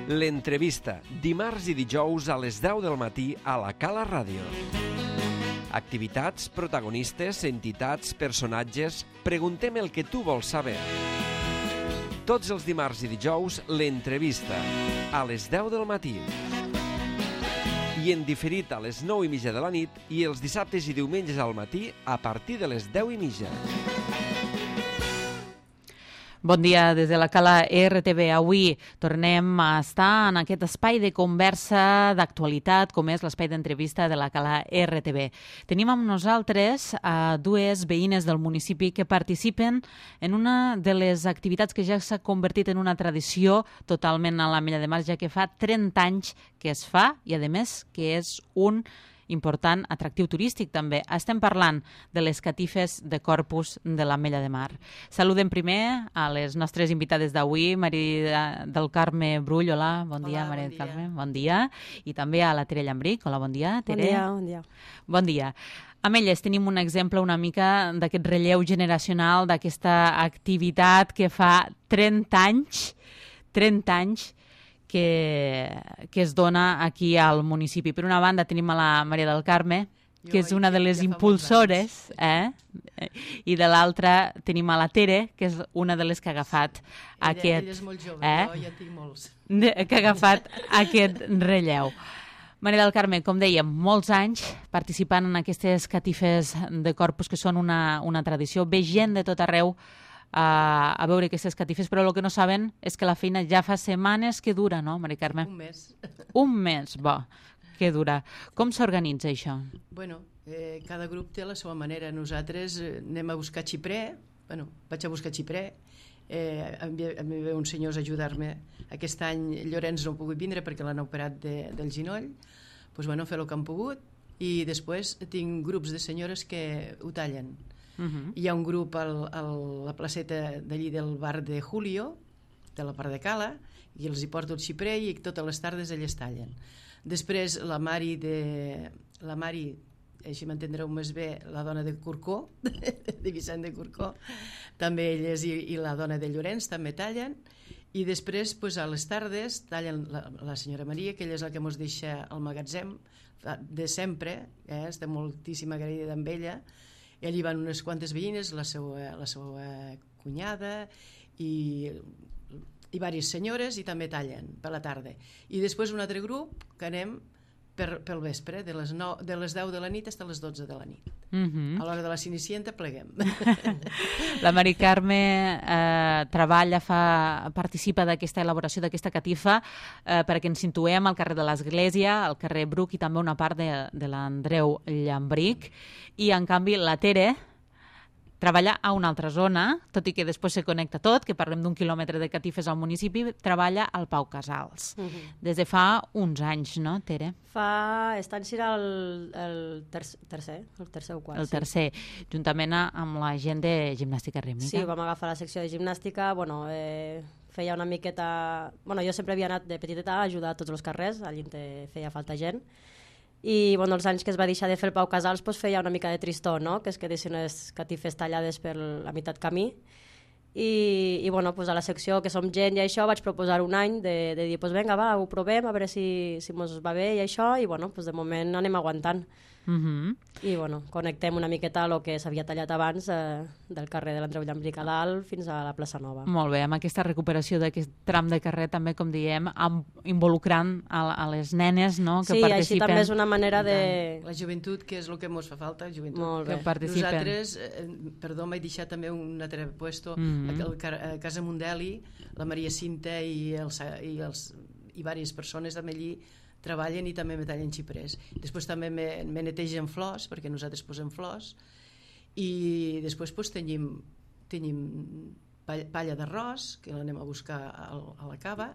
L'entrevista, dimarts i dijous a les 10 del matí a la Cala Ràdio. Activitats, protagonistes, entitats, personatges... Preguntem el que tu vols saber. Tots els dimarts i dijous, l'entrevista, a les 10 del matí. I en diferit a les 9:30 de la nit i els dissabtes i diumenges al matí a partir de les 10:30. Bon dia des de la Cala RTV. Avui tornem a estar en aquest espai de conversa d'actualitat, com és l'espai d'entrevista de la Cala RTV. Tenim amb nosaltres dues veïnes del municipi que participen en una de les activitats que ja s'ha convertit en una tradició totalment a l'Ametlla de Mar, ja que fa 30 anys que es fa i, a més, que és un important atractiu turístic també. Estem parlant de les catifes de Corpus de l'Ametlla de Mar. Saludem primer a les nostres invitades d'avui, Maria del Carme Brull. Hola, bon dia, Maria del Carme. Bon dia. I també a la Tere Llambric. Hola, bon dia, Tere. Bon dia. Bon dia. Amb elles tenim un exemple una mica d'aquest relleu generacional, d'aquesta activitat que fa 30 anys que es dona aquí al municipi. Per una banda tenim a la Maria del Carme, que és una de les impulsores, i de l'altra tenim a la Tere, que és una de les que ha agafat aquest... Ella és molt jove, jo ja tinc molts. Que ha agafat aquest relleu. Maria del Carme, com dèiem, molts anys participant en aquestes catifes de Corpus, que són una tradició. Ve gent de tot arreu a veure aquestes catifes, però el que no saben és que la feina ja fa setmanes que dura, no, Maria Carme? Un mes. Un mes, bo, que dura. Com s'organitza això? Bueno, cada grup té la seva manera. Nosaltres anem a buscar xiprer, vaig a buscar xiprer, em ve uns senyors a ajudar-me. Aquest any Llorenç no ha pogut vindre perquè l'han operat del ginoll, doncs fer el que han pogut, i després tinc grups de senyores que ho tallen. Hi ha un grup a la placeta d'allí del bar de Julio, de la part de Cala, i els hi porto el xiprer i totes les tardes elles tallen. Després la Mari, així m'entendreu més bé, la dona de Corcó, de Vicent de Corcó, també elles i la dona de Llorenç també tallen, i després a les tardes tallen la senyora Maria, que ella és la que ens deixa al magatzem de sempre, estem moltíssim agraïda amb ella. Allí van unes quantes veïnes, la seva cunyada i diverses senyores, i també tallen per la tarda. I després un altre grup que anem pel vespre, de les 10 de la nit fins a les 12 de la nit. A l'hora de la Cenicienta pleguem. La Mari Carme participa d'aquesta elaboració d'aquesta catifa perquè ens situem al carrer de l'Església, al carrer Bruc i també una part de l'Andreu Llambric, i en canvi la Tere treballa a una altra zona, tot i que després se connecta tot, que parlem d'1 quilòmetre de catifes al municipi, treballa al Pau Casals. Des de fa uns anys, no, Tere? Aquest any serà el tercer o quart. El tercer, juntament amb la gent de gimnàstica rítmica. Sí, vam agafar la secció de gimnàstica, feia una miqueta... Jo sempre havia anat de petiteta a ajudar a tots els carrers, allí feia falta gent, i els anys que es va deixar de fer el Pau Casals feia una mica de tristor, no? Que es quedessin les catifes tallades per la meitat camí, i a la secció que som gent i això vaig proposar un any de dir vinga, va, ho provem, a veure si mos va bé i això, i de moment anem aguantant. I connectem una miqueta a el que s'havia tallat abans del carrer de l'Andreu Llambric a dalt fins a la plaça Nova. Molt bé, amb aquesta recuperació d'aquest tram de carrer també, com diem, involucrant a les nenes, no?, que participen. Sí, així també és una manera de... La joventut, que és el que ens fa falta, joventut. Molt bé. Que participen. Nosaltres, perdó, m'he deixat també un altre puesto, a Casa Mundeli, la Maria Cinta i diverses persones també allí treballen i també me tallen xiprers. Després també me netegen flors, perquè nosaltres posem flors, i després tenim palla d'arròs, que l'anem a buscar a la cava,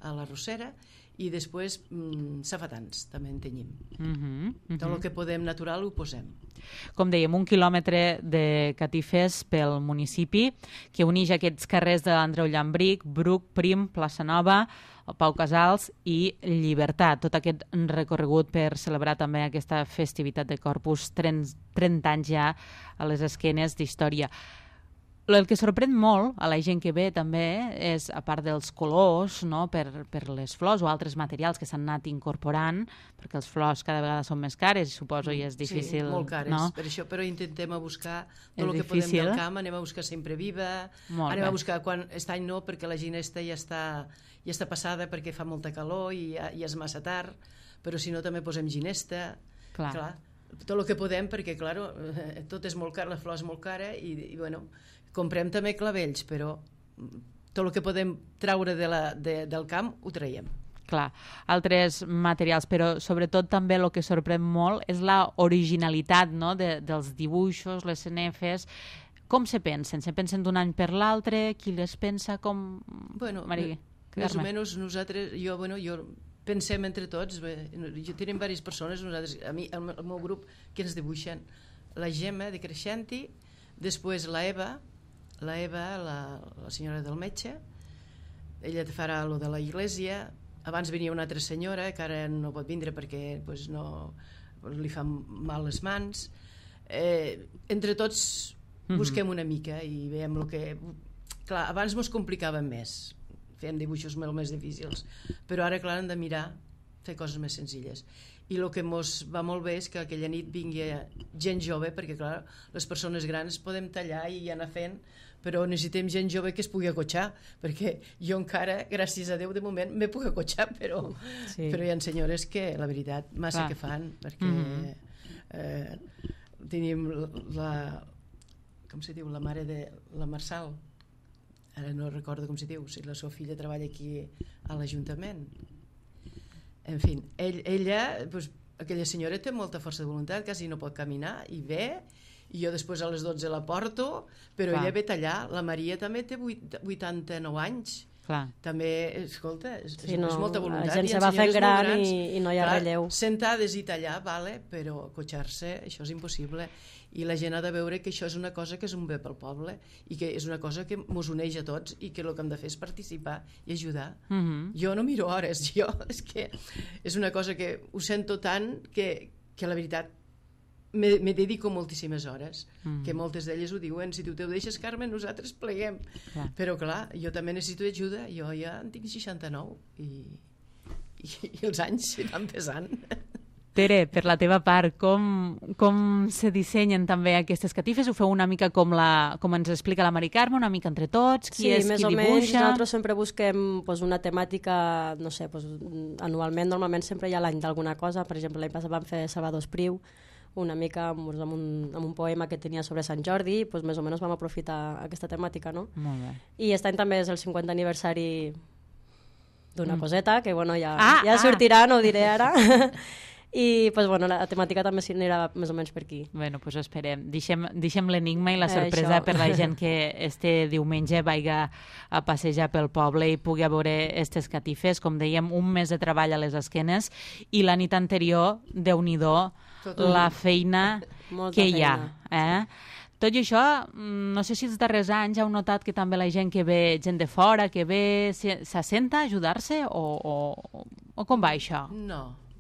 a la rossera, i després safetans també en tenim. Tot el que podem natural ho posem. Com dèiem, 1 quilòmetre de catifes pel municipi que uneix aquests carrers de l'Andreu Llambric, Bruc, Prim, Plaça Nova, el Pau Casals i Llibertat. Tot aquest recorregut per celebrar també aquesta festivitat de Corpus, 30 anys ja a les esquenes d'història. El que sorprèn molt a la gent que ve també és, a part dels colors, no? per les flors o altres materials que s'han anat incorporant, perquè les flors cada vegada són més cares, suposo, i és difícil... Sí, molt cares, no? per això, però intentem a buscar tot És el que podem difícil. del camp, anem a buscar sempre viva, Molt anem bé. a buscar quan... Aquest any no, perquè la ginesta ja està passada perquè fa molta calor i ja és massa tard, però si no també posem ginesta, clar tot el que podem, perquè clar, tot és molt car, la flor és molt cara i bueno, comprem també clavells, però tot el que podem traure del camp ho traiem. Clar, altres materials, però sobretot també el que sorprèn molt és la originalitat, no? dels dibuixos, les cenefes. Com se pensen? Se pensen d'un any per l'altre? Qui les pensa? Com... Bueno, Maria, més o menys nosaltres, jo pensem entre tots, tenim diverses persones, nosaltres, a mi, el meu grup, que ens dibuixen, la Gemma de Creixenti, després la Eva, la senyora del metge, ella farà lo de la iglesia, abans venia una altra senyora que ara no pot vindre perquè pues, no, li fan mal les mans. Entre tots busquem una mica i veiem el que... Clar, abans mos complicaven més, fèiem dibuixos molt més difícils, però ara, clar, hem de mirar fer coses més senzilles. I el que mos va molt bé és que aquella nit vingui gent jove, perquè clar, les persones grans podem tallar i anar fent, però necessitem gent jove que es pugui acotxar, perquè jo encara, gràcies a Déu, de moment m'he puc acotxar, però hi ha senyores que, la veritat, massa que fan, perquè tenim com se diu, la mare de la Marçal, ara no recordo com se diu, si la seva filla treballa aquí a l'Ajuntament. En fi, ella, pues, aquella senyora té molta força de voluntat, quasi no pot caminar, i ve, i jo després a les 12 la porto, però ella ve tallar. La Maria també té 89 anys. Clar. També, escolta, és no, molta voluntat. La gent se va fent gran i no hi ha relleu. Sentades i tallar, vale, però acotxar-se, això és impossible. I la gent ha de veure que això és una cosa que és un bé pel poble i que és una cosa que mos uneix a tots i que el que hem de fer és participar i ajudar. Jo no miro hores, és que és una cosa que ho sento tant que la veritat me dedico moltíssimes hores, que moltes d'elles ho diuen, si tu te ho deixes, Carmen, nosaltres pleguem. Però clar, jo també necessito ajuda, jo ja en tinc 69 i els anys van pesant. Tere, per la teva part, com se dissenyen també aquestes catifes? Ho feu una mica com ens explica la Mari Carme, una mica entre tots? Qui és qui dibuixa? Sí, més o menys. Nosaltres sempre busquem una temàtica, no sé, anualment, normalment sempre hi ha l'any d'alguna cosa. Per exemple, l'any passat vam fer Salvador Espriu, una mica amb un poema que tenia sobre Sant Jordi, més o menys vam aprofitar aquesta temàtica, no? Molt bé. I aquest any també és el 50 aniversari d'una coseta, que ja sortirà, no ho diré ara. I la temàtica també s'anirà més o menys per aquí. Bueno, doncs esperem. Deixem l'enigma i la sorpresa per la gent que este diumenge vaiga a passejar pel poble i pugui veure aquestes catifes. Com dèiem, un mes de treball a les esquenes i la nit anterior, Déu-n'hi-do, la feina que hi ha. Tot i això, no sé si els darrers anys heu notat que també la gent que ve, gent de fora, que ve, s'assenta a ajudar-se o com va això?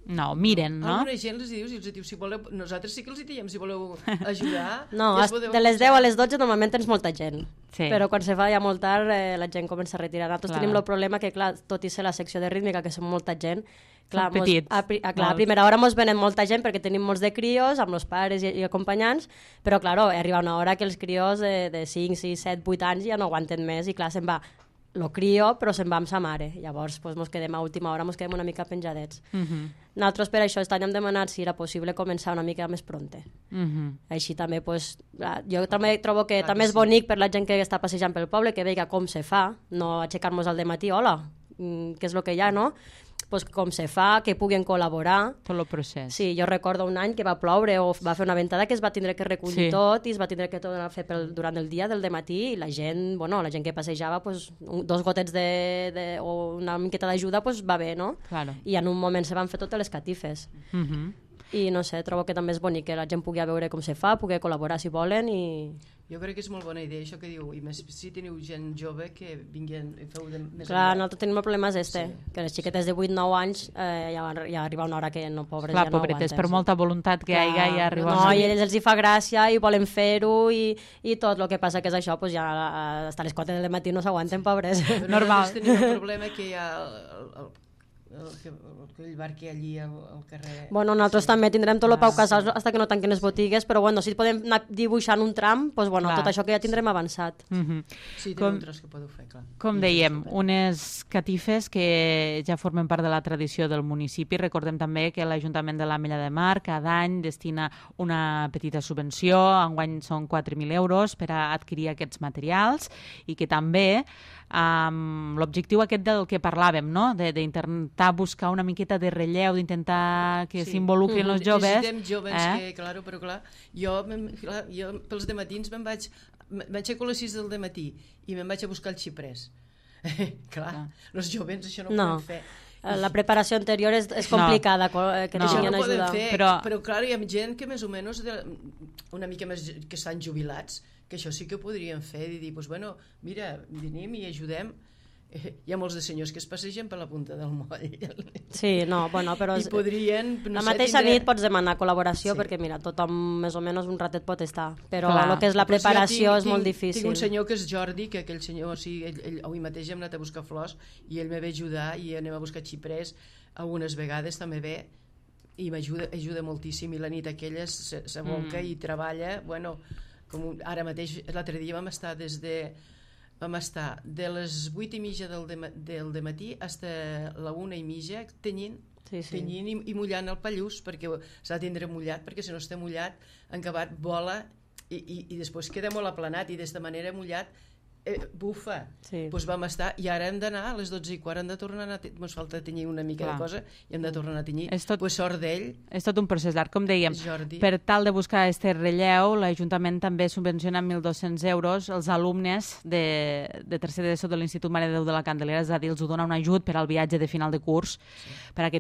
No, miren, no? Alguna gent els diu, si voleu, nosaltres sí que els diem, si voleu ajudar... No, de les 10 a les 12 normalment tens molta gent, però quan se fa ja molt tard la gent comença a retirar. Nosaltres tenim el problema que, clar, tot i ser la secció de rítmica, que som molta gent, clar, a primera hora mos venen molta gent perquè tenim molts de crios, amb els pares i acompanyants, però, clar, arriba una hora que els crios de 5, 6, 7, 8 anys ja no aguanten més i, clar, se'n va lo crio, però se'n va amb sa mare. Llavors, mos quedem a última hora, mos quedem una mica penjadets. Nosaltres, per això, aquest any hem demanat si era possible començar una mica més pronte. Així també, jo també trobo que també és bonic per la gent que està passejant pel poble, que veiga com se fa, no aixecar-nos al dematí, hola, què és el que hi ha, no? Com se fa, que puguin col·laborar. Tot el procés. Sí, jo recordo un any que va ploure o va fer una ventada que es va tindre que recollir tot i es va tindre que tornar a fer durant el dia del dematí i la gent que passejava, 2 gotets o una miqueta d'ajuda va bé, no? Claro. I en un moment se van fer totes les catifes. I no sé, trobo que també és bonic que la gent pugui veure com se fa, pugui col·laborar si volen i... Jo crec que és molt bona idea això que diu, i més si teniu gent jove que vinguin i feu de més... Clar, nosaltres tenim el problema és que les xiquetes de 8-9 anys ja arriba una hora que no, pobres, clar, ja no pobretes, aguanten. per molta voluntat que hi hagi, ja arriba... No, i a ells els hi fa gràcia i volen fer-ho i tot el que passa que és això, pues ja hasta les 4 del matí no s'aguanten, pobres. Però normal. tenim el problema que hi ha aquell bar que hi ha allí al carrer... Bueno, nosaltres també tindrem tot el Pau Casals fins que no tanquen les botigues, però bueno, si podem anar dibuixant un tram, doncs bueno, tot això que ja tindrem avançat. Sí, teniu un tros que podeu fer, clar. Com dèiem, unes catifes que ja formen part de la tradició del municipi. Recordem també que l'Ajuntament de l'Ametlla de Mar cada any destina una petita subvenció, enguany són 4.000 euros per a adquirir aquests materials i que també l'objectiu aquest del que parlàvem, no? D'intentar buscar una miqueta de relleu, d'intentar que s'involucrin els joves. Necessitem joves que, claro, però clar, jo pels dematins m'aixeco a les 6 del dematí i me'n vaig a buscar el xiprés. Clar, els joves això no ho poden fer. La preparació anterior és complicada, que no tinguin ajuda. Però clar, hi ha gent que més o menys una mica més que estan jubilats, que això sí que ho podrien fer i dir, doncs bueno, mira, venim i ajudem. Hi ha molts de senyors que es passegen per la punta del moll. Sí, no, bueno, però... I podrien... La mateixa nit pots demanar col·laboració perquè, mira, tothom més o menys un ratet pot estar, però el que és la preparació és molt difícil. Tinc un senyor que és Jordi, que aquell senyor, avui mateix hem anat a buscar flors i ell me ve ajudar i anem a buscar xiprers, algunes vegades també ve i m'ajuda moltíssim i la nit aquella s'aboca i treballa, bueno, com ara mateix, l'altre dia vam estar de les 8:30 del dematí fins a la 1:30 tenyint i mullant el pallús, perquè s'ha de tindre mullat, perquè si no està mullat, en acabat vola i després queda molt aplanat i d'esta manera mullat bufa. Doncs vam estar i ara hem d'anar a les 12:15, hem de tornar a ens falta tenyir una mica de cosa i hem de tornar a tenyir, doncs sort d'ell. És tot un procés llarg, com dèiem. Per tal de buscar aquest relleu, l'Ajuntament també subvenciona amb 1.200 euros els alumnes de tercer d'ESO de l'Institut Mare de Déu de la Candelera, és a dir, els dona un ajut per al viatge de final de curs, per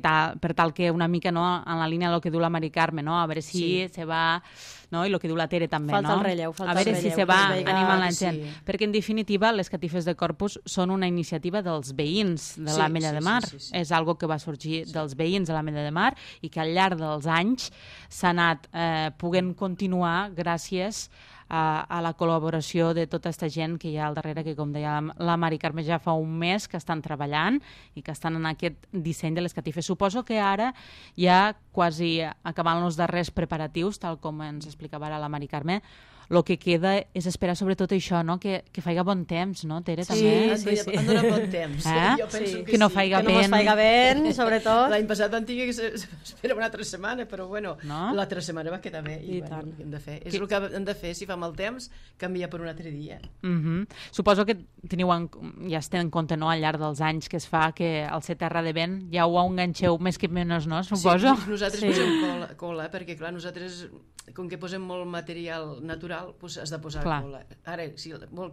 tal que una mica en la línia del que diu la Mari Carme, a veure si se va... No? I el que diu la Tere també, falta el relleu, a veure si se va animant la gent, perquè en definitiva les catifes de Corpus són una iniciativa dels veïns de l'Ametlla de Mar, és algo que va sorgir dels veïns de l'Ametlla de Mar i que al llarg dels anys s'ha anat podent continuar gràcies a la col·laboració de tota aquesta gent que hi ha al darrere, que com deia la Mari Carme ja fa un mes que estan treballant i que estan en aquest disseny de les catifes. Suposo que ara ja quasi acabant els darrers preparatius, tal com ens explicava ara la Mari Carme, el que queda és esperar sobretot això, no? Que faiga bon temps, no, Tere? Sí, han donat bon temps. Jo penso que no faiga vent. Que no es faiga vent, sobretot. L'any passat vam tenir que esperar una altra setmana, però bueno, l'altra setmana va quedar bé. I bueno, hem de fer. És el que hem de fer, si fa mal temps, canvia per un altre dia. Suposo que ja es té en compte al llarg dels anys que es fa que al ser terra de vent ja ho enganxeu més que menys, no? Suposo. Sí, nosaltres posem cola, perquè clar, nosaltres, com que posem molt material natural, doncs has de posar cola. Ara,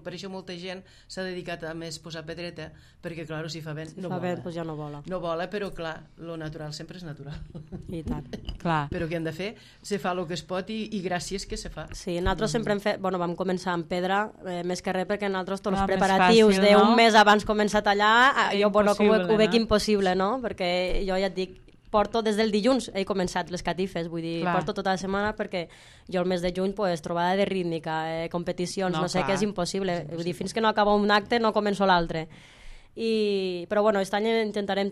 per això molta gent s'ha dedicat a més posar pedreta, perquè clar, si fa vent no vola. Si fa vent, doncs ja no vola. No vola, però clar, lo natural sempre és natural. I tant. Però què hem de fer? Se fa el que es pot i gràcies que se fa. Sí, nosaltres sempre hem fet, vam començar amb pedra, més que res perquè nosaltres tots els preparatius d'un mes abans començar a tallar, jo ho veig impossible, no? Perquè jo ja et dic, porto des del dilluns, he començat les catifes, vull dir, porto tota la setmana perquè jo el mes de juny, trobada de rítmica, competicions, no sé què, és impossible. Vull dir, fins que no acaba un acte no començo l'altre. Però bueno, aquest any intentarem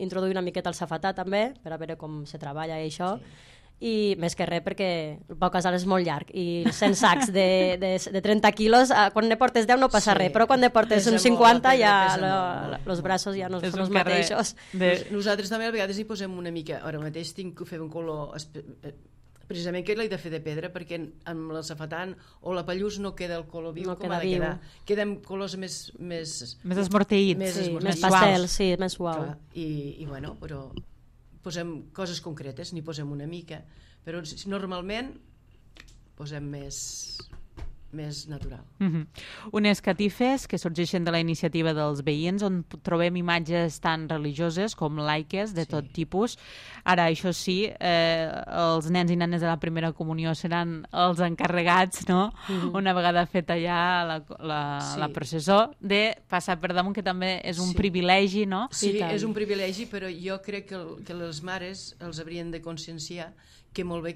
introduir una miqueta el safetà també, per a veure com se treballa i això. I més que res perquè el Pau Casal és molt llarg i 100 sacs de 30 quilos, quan ne portes 10 no passa res, però quan ne portes uns 50 ja els braços ja no són els mateixos. Nosaltres també a vegades hi posem una mica, ara mateix tinc que fer un color precisament que l'he de fer de pedra perquè amb el safetant o la pallús no queda el color viu com ha de quedar, queden colors més esmorteïts, més pastel, sí, més suau. I bueno, però posem coses concretes, n'hi posem una mica, però normalment posem més més natural. Unes catifes que sorgeixen de la iniciativa dels veïns, on trobem imatges tan religioses com laiques de tot tipus. Ara, això sí, els nens i nenes de la primera comunió seran els encarregats, no? Una vegada feta ja la processó, de passar per damunt, que també és un privilegi, no? Sí, és un privilegi, però jo crec que les mares els haurien de conscienciar que molt bé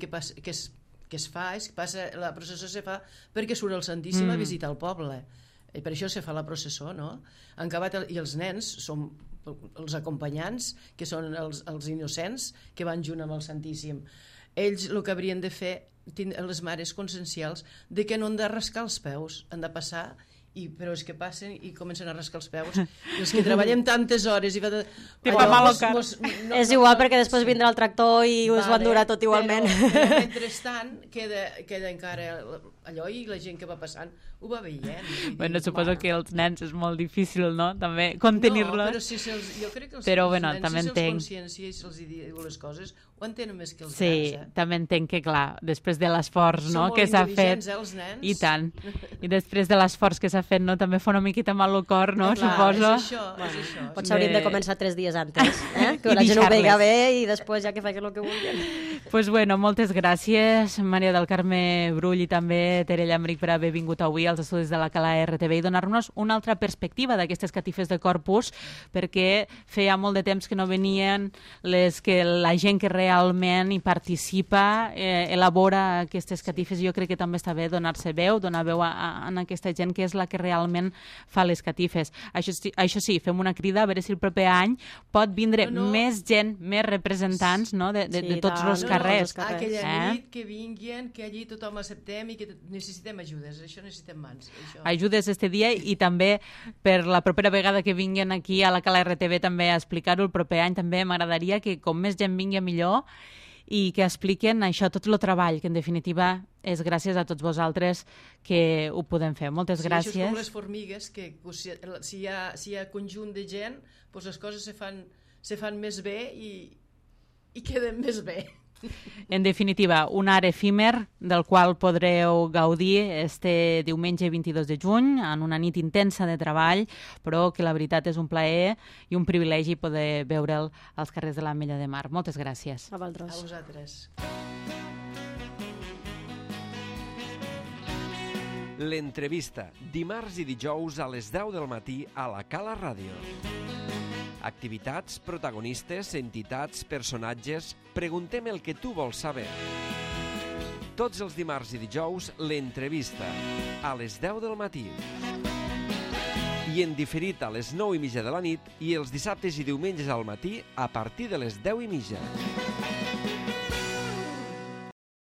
la processó se fa perquè surt el Santíssim a visitar el poble. I per això se fa la processó, no? I els nens són els acompanyants, que són els innocents, que van junt amb el Santíssim. Ells el que haurien de fer, les mares consciencials, de que no han de rascar els peus, han de passar, però és que passen i comencen a rascar els peus. I els que treballem tantes hores... És igual, perquè després vindrà el tractor i us ho endurà tot igualment. Però mentrestant queda encara allò, i la gent que va passant ho va veient. Bueno, suposo que els nens és molt difícil, no?, també contenir-los. No, però jo crec que els nens, si se'ls consciencia i se'ls diu les coses, ho entenen més que els nens. Sí, també entenc que, clar, després de l'esforç, no?, que s'ha fet... Els nens. I tant. I després de l'esforç que s'ha fet, no?, també fa una miqueta mal al cor, no?, suposo. És això. Potser hauríem de començar 3 dies antes, que la gent ho veiga bé i després ja que facin el que vulguin. Pues bueno, moltes gràcies, Maria del Carme Brull i també Tere Llambric, per haver vingut avui als estudis de la Cala RTV i donar-nos una altra perspectiva d'aquestes catifes de Corpus, perquè feia molt de temps que no venien la gent que realment hi participa, elabora aquestes catifes. Jo crec que també està bé donar-se veu, donar veu a aquesta gent que és la que realment fa les catifes. Això sí, fem una crida a veure si el proper any pot vindre més gent, més representants, no?, de tots els carrers. Aquella nit que vinguin, que allí tothom acceptem i que necessitem ajudes, això necessitem mans. Ajudes este dia, i també per la propera vegada que vinguin aquí a la Cala RTV també a explicar-ho el proper any. També m'agradaria que com més gent vingui millor i que expliquen això, tot el treball, que en definitiva és gràcies a tots vosaltres que ho podem fer. Moltes gràcies. Això és com les formigues, que si hi ha conjunt de gent, doncs les coses se fan més bé i queden més bé. En definitiva, un art efímer del qual podreu gaudir este diumenge 22 de juny en una nit intensa de treball, però que la veritat és un plaer i un privilegi poder veure'l als carrers de l'Ametlla de Mar. Moltes gràcies. A vosaltres. A vosaltres. L'entrevista, dimarts i dijous a les 10 del matí a la Cala Ràdio. Activitats, protagonistes, entitats, personatges... Preguntem el que tu vols saber. Tots els dimarts i dijous, l'entrevista, a les 10 del matí. I en diferit a les 9:30 de la nit i els dissabtes i diumenges al matí a partir de les 10:30.